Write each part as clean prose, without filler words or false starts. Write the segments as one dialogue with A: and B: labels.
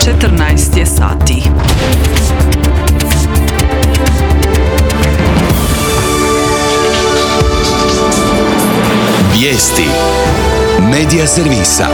A: 14 je sati.
B: Vijesti Medija servisa.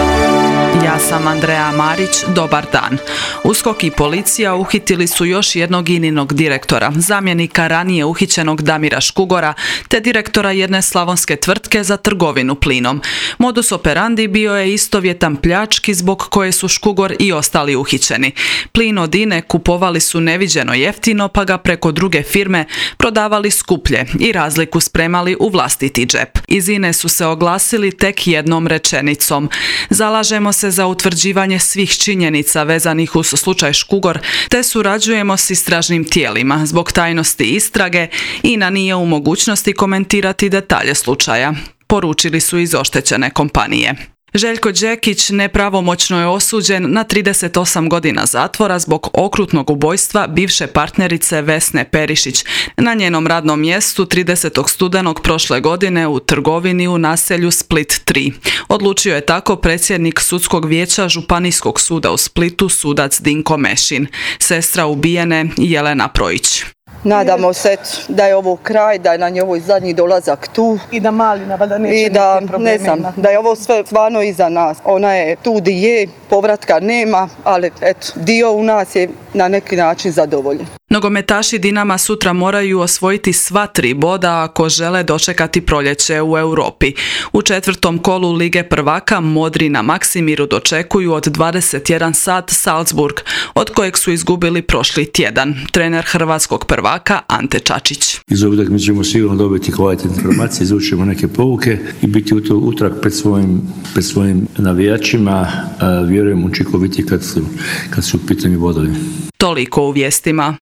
A: Ja sam Andreja Marić, dobar dan. USKOK i policija uhitili su još jednog INA-inog direktora, zamjenika ranije uhićenog Damira Škugora, te direktora jedne slavonske tvrtke za trgovinu plinom. Modus operandi bio je istovjetan pljački zbog koje su Škugor i ostali uhićeni. Plin od INA-e kupovali su neviđeno jeftino, pa ga preko druge firme prodavali skuplje i razliku spremali u vlastiti džep. Iz INA-e su se oglasili tek jednom rečenicom: zalažemo se za utvrđivanje svih činjenica vezanih uz slučaj Škugor, te surađujemo s istražnim tijelima. Zbog tajnosti istrage, INA nije u mogućnosti komentirati detalje slučaja, poručili su iz oštećene kompanije. Željko Đekić nepravomoćno je osuđen na 38 godina zatvora zbog okrutnog ubojstva bivše partnerice Vesne Perišić na njenom radnom mjestu 30. studenog prošle godine u trgovini u naselju Split 3. Odlučio je tako predsjednik sudskog vijeća Županijskog suda u Splitu, sudac Dinko Mešin. Sestra ubijene Jelena Projić.
C: Nadamo se da je ovo kraj, da je na njoj zadnji dolazak tu.
D: I da Malina valjda neće
C: i da,
D: neki problemi.
C: Ne znam, da je ovo sve stvarno iza nas. Ona je tu di je, povratka nema, ali eto, dio u nas je na neki način zadovoljen.
A: Nogometaši Dinama sutra moraju osvojiti sva 3 boda ako žele dočekati proljeće u Europi. U 4. kolu Lige prvaka modri na Maksimiru dočekuju od 21 sat Salzburg, od kojeg su izgubili prošli tjedan. Trener hrvatskog prvaka Ante Čačić.
E: Iz ove utakmice ćemo sigurno dobiti kvalitetne informacije, izvučemo neke pouke i biti utrag pred svojim navijačima, vjerujem učinkoviti kad su u pitanju bodovi.
A: Toliko u vijestima.